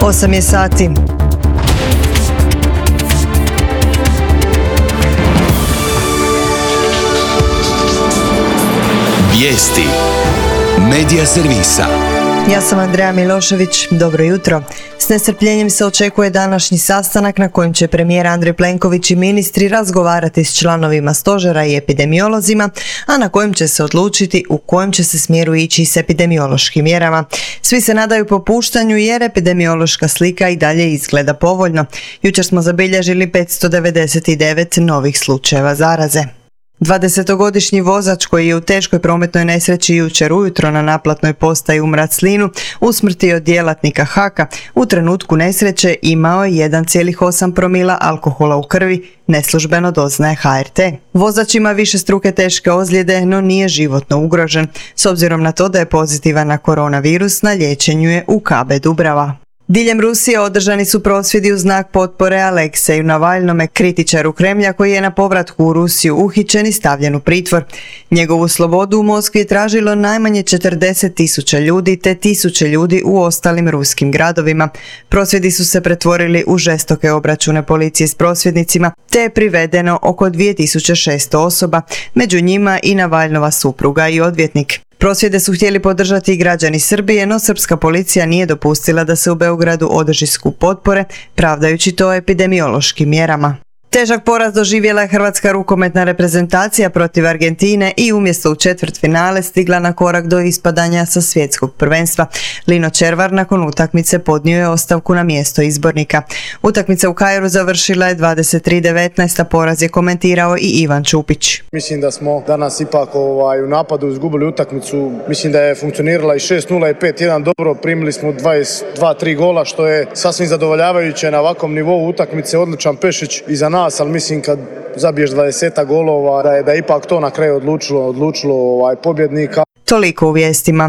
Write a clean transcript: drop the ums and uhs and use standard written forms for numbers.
8 je sati. Vijesti Medija servisa. Ja sam Andreja Milošević, dobro jutro. S nestrpljenjem se očekuje današnji sastanak na kojem će premijer Andrej Plenković i ministri razgovarati s članovima stožera i epidemiolozima, a na kojem će se odlučiti u kojem će se smjeru ići s epidemiološkim mjerama. Svi se nadaju popuštanju jer epidemiološka slika i dalje izgleda povoljno. Jučer smo zabilježili 599 novih slučajeva zaraze. 20-godišnji vozač koji je u teškoj prometnoj nesreći jučer ujutro na naplatnoj postaji u Mraclinu usmrtio djelatnika HAK-a u trenutku nesreće imao je 1,8 promila alkohola u krvi, neslužbeno doznaje HRT. Vozač ima višestruke teške ozljede, no nije životno ugrožen, s obzirom na to da je pozitivan na koronavirus, na liječenju je u KB Dubrava. Diljem Rusije održani su prosvjedi u znak potpore Alekseju Navalnome, kritičaru Kremlja koji je na povratku u Rusiju uhićen i stavljen u pritvor. Njegovu slobodu u Moskvi je tražilo najmanje 40.000 ljudi te tisuće ljudi u ostalim ruskim gradovima. Prosvjedi su se pretvorili u žestoke obračune policije s prosvjednicima te je privedeno oko 2600 osoba, među njima i Navalnova supruga i odvjetnik. Prosvjede su htjeli podržati i građani Srbije, no srpska policija nije dopustila da se u Beogradu održi skup potpore, pravdajući to epidemiološkim mjerama. Težak poraz doživjela je hrvatska rukometna reprezentacija protiv Argentine i umjesto u četvrtfinale stigla na korak do ispadanja sa svjetskog prvenstva. Lino Červar nakon utakmice podnio je ostavku na mjesto izbornika. Utakmica u Kairu završila je 23:19, a poraz je komentirao i Ivan Čupić. Mislim da smo danas ipak u napadu izgubili utakmicu. Mislim da je funkcionirala i 6-0 i 5-1 dobro. Primili smo 22-3 gola što je sasvim zadovoljavajuće na ovakvom nivou utakmice. Odličan Pešić iza nas, ali mislim kad zabiješ 20 golova da je ipak to na kraju odlučilo pobjednika. Toliko u vijestima.